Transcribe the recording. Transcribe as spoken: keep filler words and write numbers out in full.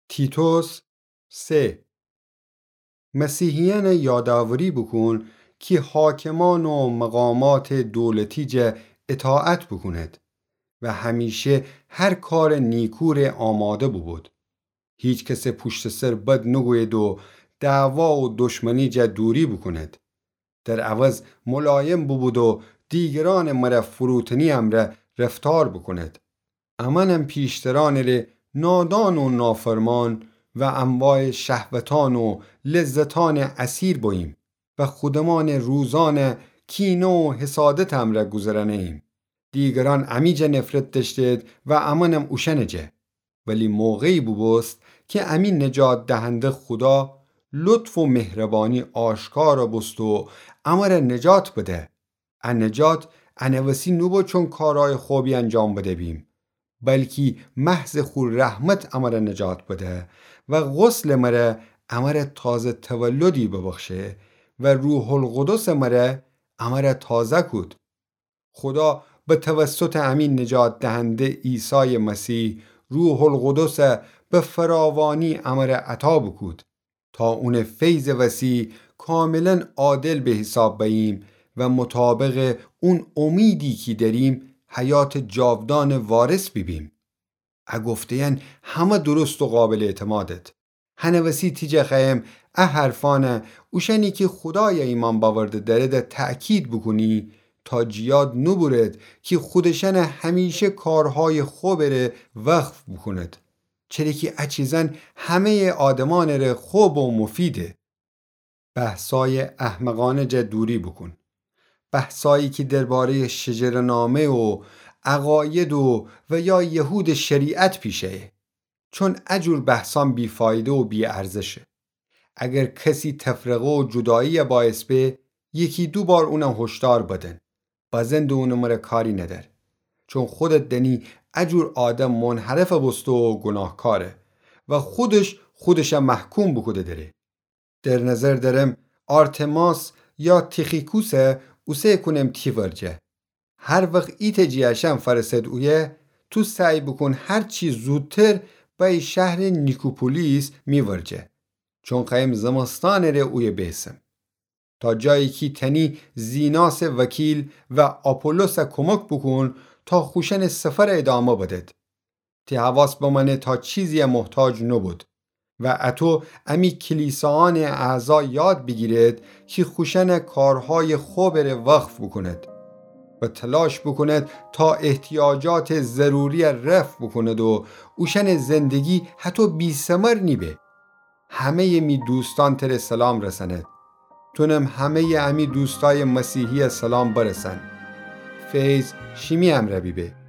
تیتوس سه. مسیحیأنَ یادآوری بوکون کی حاکمان و مقاماتٚ دولتی جا اطاعت بوکونید و همیشه هر کارٚ نیکو ره آماده بوبود. هیکسٚ پوشتٚ سر بد نوگویید و دعوا و دشمنی جا دوری بوکونید. در عوض ملایم بوبود و دیگرأنٚ مره فروتنی امرأ رفتار بوکونید. امأنم پیشترأنٚ ره نادان و نافرمان و انواعٚ شهوتأن و لذتأنٚ اسیر بوییم و خودمأنٚ روزأنَ کینه و حسادتٚ امرأ گوذرأنه‌ییم. دیگرأن امی جا نفرت دأشتید و امأنم اوشأنٚ جا. ولی موقعی بوبوست کی امی نجات دهنده خودا لطف و مهربانی آشکار بوست و امره نجات بده. ا نجات انه وسی نوبو چون کارأیٚ خبی انجام بده بیم، بلکی محضٚ خو رحمت امره نجات بده و غسلٚ مره امره تازه تولدی ببخشه و روح‌القدسٚ مره امره تازه کود. خودا به توسطٚ امی نجات دهنده عیسایٚ مسیح روح‌القدس به فراوانی امره عطا بوکود تا اونٚ فیضٚ وسی کاملاً عادل به حساب بأییم و مطابقٚ اون امیدی کی دأریم حیاتٚ جاودانٚ وارث بیبیم. ا گفته‌یأن همه درست و قابلٚ اعتمادد. هنٚ وسی تی جا خوأیم ا حرفأنَ اوشأنی کی خودایَ ایمأن بأورده دأرده تأکید بوکونی تا جٚ یاد نوبورد کی خودشأنَ همیشه کارهایٚ خبٚ ره وقف بوکونید، چره کی ا چیزأن همه‌یٚ آدمأنٚ ره خب و مفیده. بحثایٚ احمقأنه جا دوری بوکون. بحثایی کی درباره‌یٚ شجره‌نامه و عقاید و، و یا یهودٚ شریعت پیشه‌یه. چون ا جور بحثأن بی‌فایده و بی‌ارزشه. اگر کسی تفرقه و جدایی‌یَ باعث به، یکی دو بار اونَ هشدار بدن. بزن ده اونٚ مره کاری ندأر. چون خودت دأنی ا جور آدم منحرف بوسته و گناهکاره و خودش خودشَ محکوم بوکوده دره. در نظر دأرم آرتماس یا تیخیکوسَ اوسه کونم تی ورجه. هر وخت ایتأ جٚه اشأن فأرسد اویه، تو سعی بوکون هر چی زودتر بأیی شهرٚ نیکوپولیس می ورجه. چون خوأیم زمستانٚ ره اویه بیسم. تا جایی کی تأنی زیناسٚ وکیل و آپولوسَ کمک بوکون تا خوشأنٚ سفرَ ادامه بدد. تی حواس بمأنه تا چیزی‌یَ محتاج نوبود. و اتو امی کلیساأنٚ اعضا یاد بیگیرید کی خوشأنٚ کارهایٚ خبٚ ره وقف بوکونید و تلاش بوکونید تا احتیاجاتٚ ضروری‌یَ رفع بوکونید و اوشأنٚ زندگی هتو بی‌ثمر نیبه. همه‌یٚ می دوستأن تره سلام رسأنید. تونم همه‌یٚ امی دوستایٚ مسیحی‌یَ سلام برسأن. فیض شیمی امرأ بیبه.